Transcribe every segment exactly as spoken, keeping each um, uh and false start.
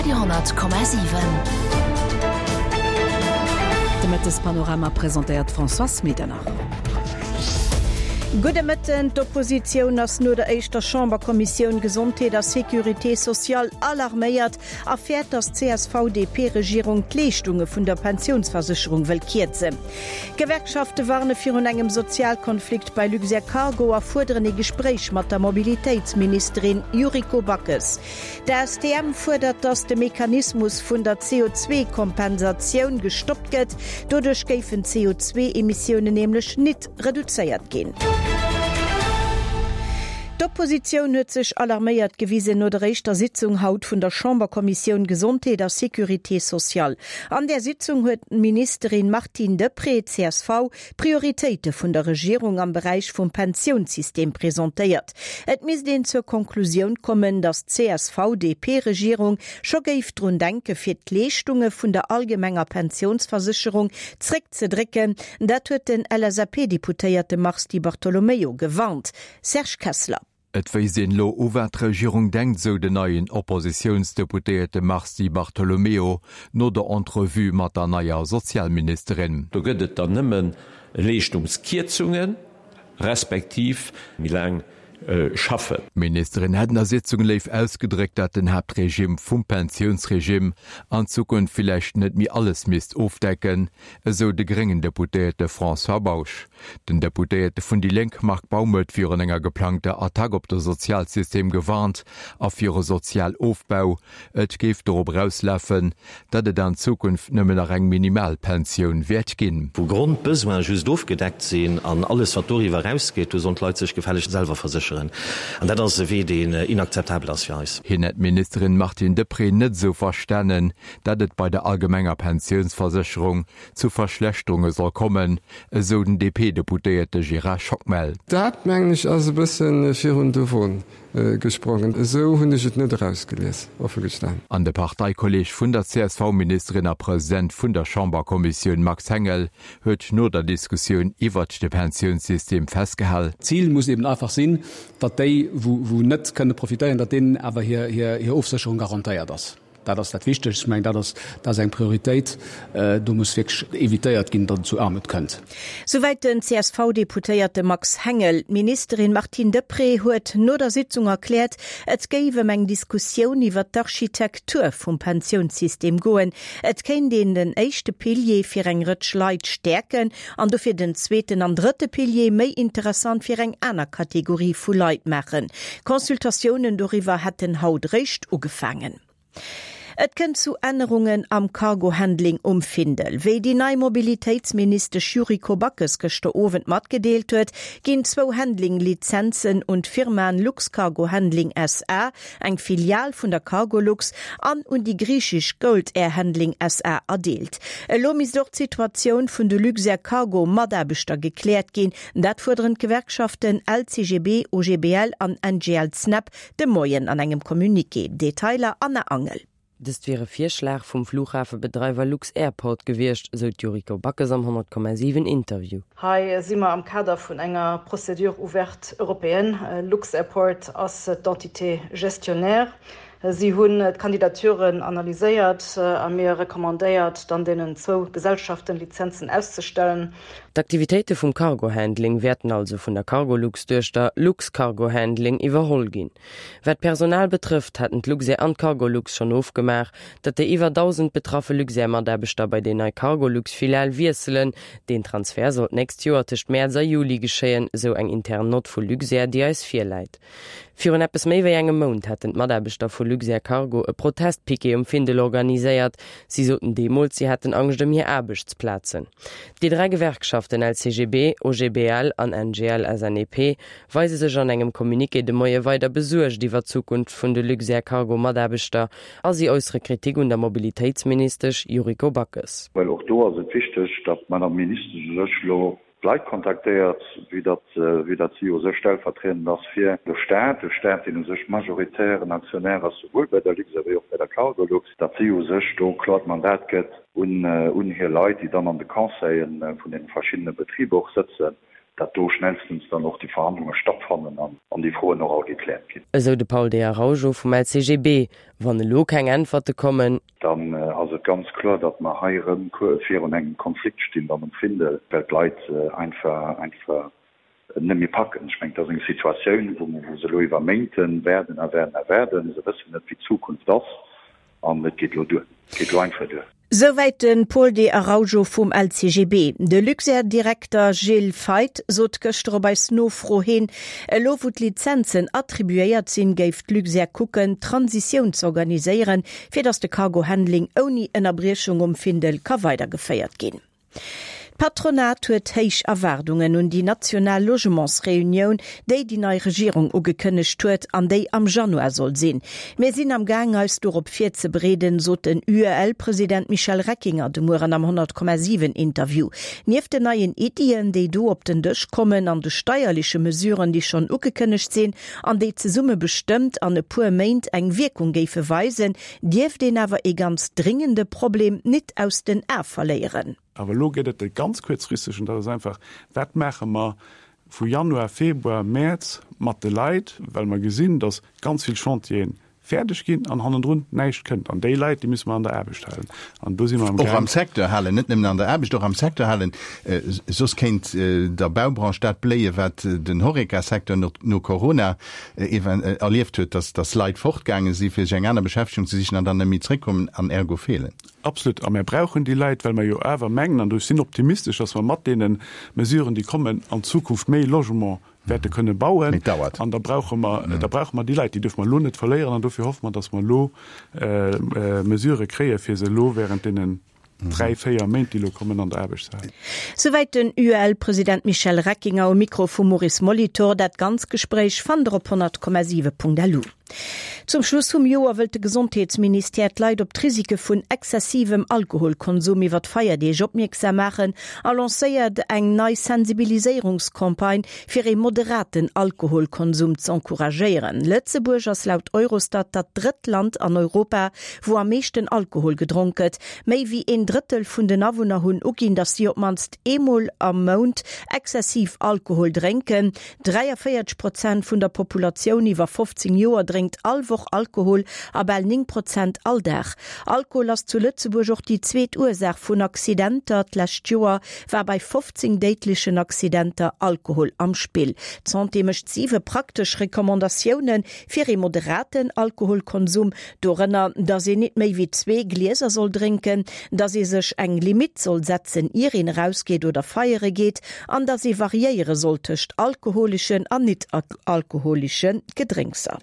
Radio honnert Komma siwen. De Mëttespanorama presentéiert d'Françoise Medernach. Gudde Mëtten, D'Oppositioun ass no der éischter Chamberkommissioun Gesondheet a Sécurité sociale alarméiert a fäert, datt d'CSV-DP-Regierung d'Leeschtunge vun der Pensiounsversécherung wëll kierzen. D'Gewerkschafte warne virun engem Sozialkonflikt bei Luxair Cargo a fuerderen ee Gespréich mat der Mobilitéitsministerin Yuriko Backes. D'A S T M fuerdert, datt de Mechanismus vun der C O zwee Kompensatioun gestoppt gëtt. Doduerch géifen d'C O zwee Emissiounen nämlech nit reduzéiert ginn. D'Oppositioun huet sech alarméiert gewisen no der éischter Sitzung haut vun der Chamberkommissioun Gesondheet a Sécurité sociale. An där Sitzung huet d'Ministerin Martine Deprez, C S V, d'Prioritéite vun der Regierung am Beräich vum Pensiounssystem presentéiert. Et misst een zur Konklusioun kommen, datt d'C S V-D P-Regierung scho géif drun denke fir d'Leeschtunge vun der allgemenger Pensiounsversécherung zréckzedrécken. Dat huet den L S A P-Deputéierte Mars Di Bartolomeo gewarnt. Serge Kessler. Et wéisst een elo u wat d'Regierung denkt, sou den neien Oppositiounsdeputéierte Mars Di Bartolomeo no der Entrevue mat der neier Sozialministerin. Do gëtt et dann nëmme Leeschtungskierzungen, respektiv méi laang schaffen. D'Ministerin hätt an der Sitzung léif ausgedréckt, dat den Haaptregime vum Pensiounsregime an Zukunft villäicht net méi alles misst ofdecken, esou de gréngen Deputéierte François Bausch. Den Deputéierte vun déi Lénk Marc Baum huet virun enger geplangter Attack op de Sozialsystem gewarnt a viru Sozialofbau. Et géif dorop erauslafen, datt et an Zukunft nëmmen nach eng Minimalpensioun wäert ginn. Wou Grondbesoine just ofgedeckt sinn an alles wat doriwwer erausgeet, do sollen d'Leit sech gefällegst selwer versécheren. An dat ass e Wee, deen inakzeptabel ass fir eis. Hien hätt d'Ministerin Martine Deprez net esou verstanen, datt et bei der allgemenger Pensiounsversécherung zu Verschlechterunge soll kommen, esou den D P-Deputéierte Gérard Schockmel. Dat mengen ech ass e bësse virun de Won gesprongen. Esou hunn ech et net erausgelies, offen gestanen. An de Parteikolleeg vun der C S V-Ministerin a President vun der Chamberkommissioun Max Hengel huet no der Diskussioun iwwert de Pensiounssystem festgehal. D'Zil muss eben einfach sinn, datt déi, wou wou net kënne profitéieren, datt deenen awer hir hir hir Ofsécherung garantéiert ass. Dat ass dat Wichtegst. Ech mengen, dat ass dat ass eng Prioritéit. Do muss wierklech evitéiert ginn, datt et zu Aarmut kënnt. Souwäit den C S V-Deputéierte Max Hengel. D'Ministerin Martine Deprez huet no der Sitzung erkläert, et géif ëm eng Diskussioun iwwer d'Architektur vum Pensiounssystem goen. Et kéint een den éischte Pilier fir eng Rëtsch Leit stäerken an dofir den zweeten an drëtte Pilier méi interessant fir eng aner Kategorie vu Leit maachen. Consultatiounen doriwwer hätten haut réischt ugefaangen. Et kënnt zu Ännerungen am Cargo-Handling um Findel. Wéi déi nei Mobilitéitsministesch Yuriko Backes gëschter Owend matgedeelt huet, ginn zwou Handling-Lizenzen un d'Firmaen Luxcargo Handling S A, eng Filial vun der Cargolux, an un déi griichesch Gold Air Handling S A erdeelt. Elo misst och d'Situatioun vun de Luxair Cargo Mataarbechter gekläert ginn. Dat fuerderen d'Gewerkschaften L C G B, O G B L an N G L Snep de Moien an engem Communiqué. Detailer Anna Angel. Dëst wier e Virschlag vum Flughafebedreiwer lux-Airport gewiescht, sou d'Yuriko Backes am honnert Komma siwen Interview. Hei si mer am Kader vun enger Procédure ouverte européenne. Lux-Airport ass d'Entité gestionnaire. Si hunn d'Kandidaturen analyséiert a mir recommandéiert, dann deenen zwou Gesellschaften Lizenzen auszestellen. D'Aktivitéite vum Cargo-Handling wäerten also vun der Cargolux-Duechter Luxcargo Handling iwwerholl ginn. Wat d'Personal betrëfft, hätten d'Luxair an d'Cargolux schonn ofgemaach, datt déi iwwer dausend betraffe Luxair-Mataarbechter bei déi nei Cargolux-Filial wiesselen. Den Transfer soll d'nächst Joer tëscht Mäerz a Juli geschéien, sou eng intern Nott vu Luxair, déi eis virläit. Virun eppes méi wéi engem Mount hätten d'Mataarbechter vu Luxair Cargo e Protestpiquet um Findel organiséiert. Si soten deemools, si hätten Angscht ëm hir Aarbechtsplazen. Déi dräi Gewerkschaften L C G B, O G B L an N G L S N E P weise sech an engem Communiqué de Moie weider besuergt iwwer d'Zukunft vun de Luxair Cargo Mataarbechter a si äussere Kritik un der Mobilitéitsministesch Yuriko Backes. Well och do ass et wichteg, datt d'Madame Ministesch u sech elo d'Leit kontaktéiert, vue datt, vue datt si u sech stellvertriedend ass fir de Staat, de Staat, deen u sech majoritären Aktionär ass, souwuel bei der Luxair wéi och bei der Cargolux, datt si u sech do e kloert Mandat gëtt un, un hir Leit, déi dann an de Conseile vun deene verschiddene Betriber och sëtzen, datt do schnellstens dann och déi Verhandlunge stattfannen an déi Froen och all gekläert ginn. Esou de Paul De Araujo vum L C G B. Wann elo keng Äntwerte kommen, dann ass et ganz kloer, datt mer hei erëm virun engem Konflikt stinn dann um Findel, well d'Leit einfach einfach net méi packen. Ech mengen, et ass eng Situatioun, wou se elo iwwer Méinte waarden a waarden a waarden. Se wëssen net, wéi d'Zukunft ass an et geet elo duer. Et geet elo einfach duer. Souwäit de Paul De Araujo vum L C G B. De Luxair-Direkter Gilles Feith sot gëschter op eis Nofro hin, elo wou d'Lizenzen attribuéiert sinn, géif d'Luxair kucken, d'Transitioun z'organiséieren, fir datt de Cargo-Handling ouni Ënnerbriechung um Findel ka weidergeféiert ginn. D'Patronat huet héich Erwaardungen un déi national Logementsreunioun, déi déi nei Regierung ugekënnegt huet an déi am Januar soll sinn. Mir sinn am Gaang eis dorop virzebereeden, sot den U E L-President Michel Reckinger de Mueren am honnert Komma siwen Interview. Nieft den neien Iddien, déi do op den Dësch kommen an de steierleche Mesuren, déi schonn ugekënnegt sinn an déi zesumme bestëmmt an e puer Méint eng Wierkung géife weisen, dierft een awer ee ganz dringende Problem net aus den Ae verléieren. Awer elo gëtt et e ganz kuerzfristegen, dat ass einfach, wat maache mer vu Januar, Februar, Mäerz mat de Leit, well mer gesinn, datt ganz vill Chantieren fäerdeg ginn an hannendrun näischt kënnt. An déi Leit, déi musse mer an der Aarbecht halen. An do si mer am Och am Secteur halen, net nëmmen an der Aarbecht, och am Secteur halen. Soss kéint der Baubranche dat bléien, wat den Horeca-Secteur no, no Corona erlieft huet, datt, datt Leit fortgaange si fir sech eng aner Beschäftegung ze sichen an dann net méi zréckkommen an ergo feelen. Absolut. A mir brauchen déi Leit, well mer jo awer mengen, an do sinn optimistesch, datt mer mat deene Mesuren, déi kommen, an Zukunft méi Logement wäerte kënne bauen. Mee et dauert. An da brauche mer, da brauche mer déi Leit, déi dierfe mer elo net verléieren. An dofir hoffe mer, datt mer elo Mesurë kréie fir se elo während deenen dräi, véier Méint, déi elo kommen, an der Aarbecht ze halen. Souwäit den U E L-President Michel Reckinger um Mikro vum Maurice Molitor. Dat ganz Gespréich fannt der op honnert Komma siwe Punkt L U. Zum Schluss vum Joer wëllt de Gesondheetsministère d'Leit op d'Risike vun exzessivem Alkoholkonsum iwwer d'Feierdeeg opmierksam maachen a lancéiert eng nei Sensibiliséierungscampagne fir ee moderaten Alkoholkonsum z'encouragéieren. Lëtzebuerg ass laut Eurostat dat drëtt Land an Europa, wou am meeschten Alkohol gedronk gëtt. Méi wéi een Drëttel vun den Awunner hunn uginn, datt si op d'mannst eemol am Mount exzessiv Alkohol drénken. dräiavéierzeg Prozent vun der Populatioun iwwer fofzéng Joer drénkt all Woch Alkohol a bal néng Prozent all Dag. Alkohol ass zu Lëtzebuerg och déi zweet Ursaach vun Accidenter. D'lescht Joer war bei fofzéng déidlechen Accidenter Alkohol am Spill. D'Santé mécht siwe praktesch Recommandatioune fir ee moderaten Alkoholkonsum, dorënner, datt een net méi wéi zwee Glieser soll drénken, datt ee sech eng Limitt soll setzen, ier een erausgeet oder feiere geet, an datt ee variéiere soll tëscht alkoholeschen an net alkoholesche Gedrénkser.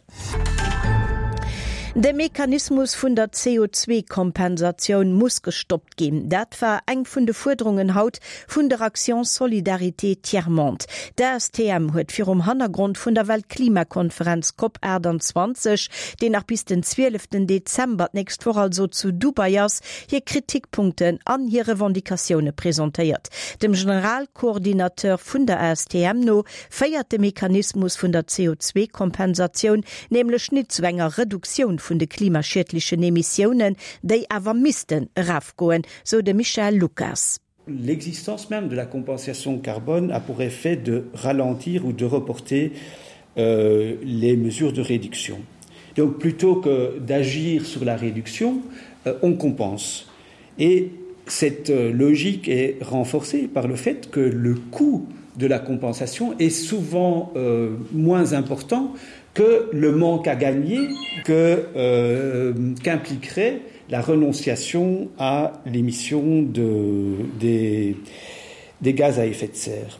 De Mechanismus vun der C O zwee Kompensatioun muss gestoppt ginn. Dat war eng vun de Fuerderungen haut vun der Action Solidarité Tiers-Monde. D'A S T M huet virum Hannergrond vun der Weltklimakonferenz COP achtuanzwanzeg, déi nach bis den zwieleften Dezember, d'nächst Woch also, zu Dubai ass, hir Kritikpunkten an hir Revendicatioune presentéiert. Dem Generalkoordinateur vun der A S T M no féiert de Mechanismus vun der C O zwee Kompensatioun nämlech net zu enger Reduktioun vun de klimaschiedlechen Emissiounen, déi awer missten erofgoen, sou de Michel Lucas. L'existence même de la compensation carbone a pour effet de ralentir ou de reporter euh, les mesures de réduction. Donc plutôt que d'agir sur la réduction, euh, on compense. Et cette euh, logique est renforcée par le fait que le coût de la compensation est souvent euh, moins important que le manque à gagner que, euh, qu'impliquerait la renonciation à l'émission de, des, des gaz à effet de serre.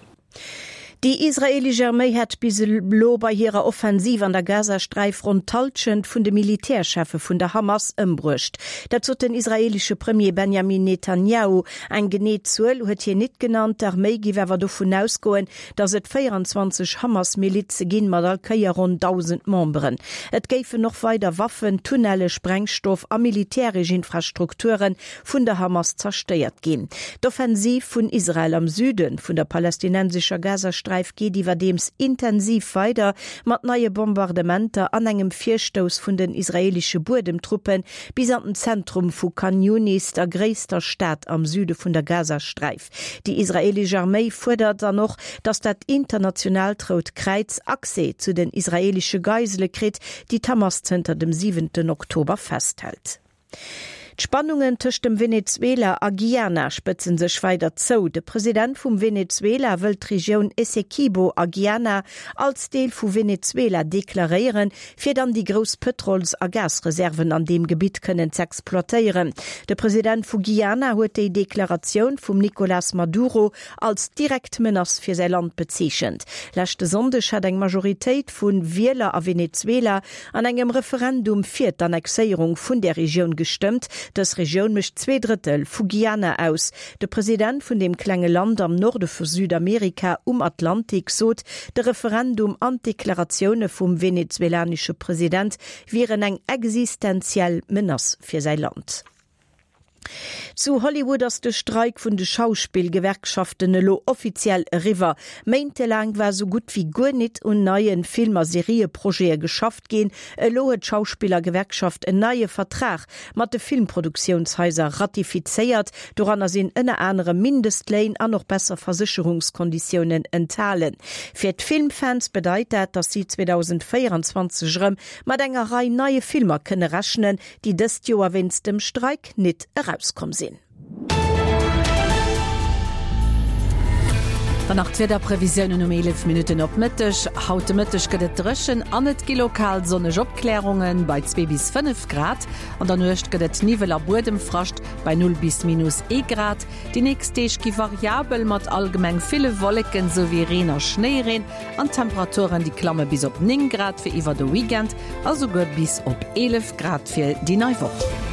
Déi israeelesch Arméi hätt bis elo bei hirer Offensiv an der Gazasträif ronn d'Hallschent vun de Militärcheffe vun der Hamas ëmbruecht. Dat sot den israeelesche Premier Benjamin Netanjahu. Eng genee Zuel huet hien net genannt. D'Arméi géif awer dovun ausgoen, datt et véierenzwanzeg Hamas-Milize ginn, mat all Kéier ronn dausend Memberen. Et géifen och weider Waffen, Tunnelle, Sprengstoff a militäresch Infrastrukture vun der Hamas zerstéiert ginn. D'Offensiv vun Israel am Süde vun der palästinensescher Gazasträif Gazasträif geet iwwerdeems intensiv weider, mat neie Bombardementer an engem Virstouss vun den israeelesche Buedemtruppe bis an den Zentrum vu Khan Younis, der gréisster Stad am Süde vun der Gazasträif. Déi israeelesch Arméi fuerdert dann och, datt dat internationaalt Rout Kräiz Accès zu den israeelesche Geisele kritt, déi d'Hamas zënter dem siwenten Oktober festhält. D'Spannungen tëscht dem Venezuela a Guyana spëtzen sech weider zou. De President vum Venezuela wëllt d'Regioun Essequibo a Guyana als Deel vu Venezuela deklaréieren, fir dann déi grouss Pëtrols a Gasreserven an deem Gebitt kënnen z'exploitéieren. De President vu Guyana huet déi Deklaratioun vum Nicolas Maduro als direkt Menace fir säi Land bezeechent. Leschte Sonndeg hat eng Majoritéit vu Wieler a Venezuela an engem Referendum fir d'Annexéierung vun där Regioun gestëmmt. Dës Regioun mécht zwee Drëttel vu Guyana aus. De President vun deem klenge Land am Norde vu Südamerika um Atlantik sot, de Referendum an d'Deklaratioune vum venezuelanesche President wieren eng existenziell Menace fir säi Land. Zu Hollywood ass de Streik vun de Schauspillgewerkschaften elo offiziell eriwwer. Méintelaang war sou gutt wéi guer nit un neie Film a Serieprojete geschafft ginn. Elo huet d'Schauspillergewerkschaft en neie Vertrag mat de Filmproduktionshaiser ratifizéiert. Doranner sinn ënner anerem Mindestléin an och besser Versécherungskonditiounen enthalen. Fir d'Filmfans bedeit dat, datt si zweedausendvéierenzwanzeg erëm mat enger Rei neie Filmer kënne rechnen, déi dëst Joer wéinst dem Streik nit erauskomm sinn. Dann nach d'Wiederprevisiounen um eelef Minutten op Mëtteg. Haut de Mëtteg gëtt et dréchen an et gi lokal sonneg Opklärungen bei zwee bis fënnef Grad. An der Nuecht gëtt et Niwwel a Buedemfrascht bei null bis minus ee Grad. Déi nächst Deeg gi variabel mat allgemeng ville Wolleken souwéi Reen a Schnéireen an d'Temperaturen déi klamme bis op néng Grad fir iwwer de Weekend a souguer bis op eelef Grad fir déi nei Woch.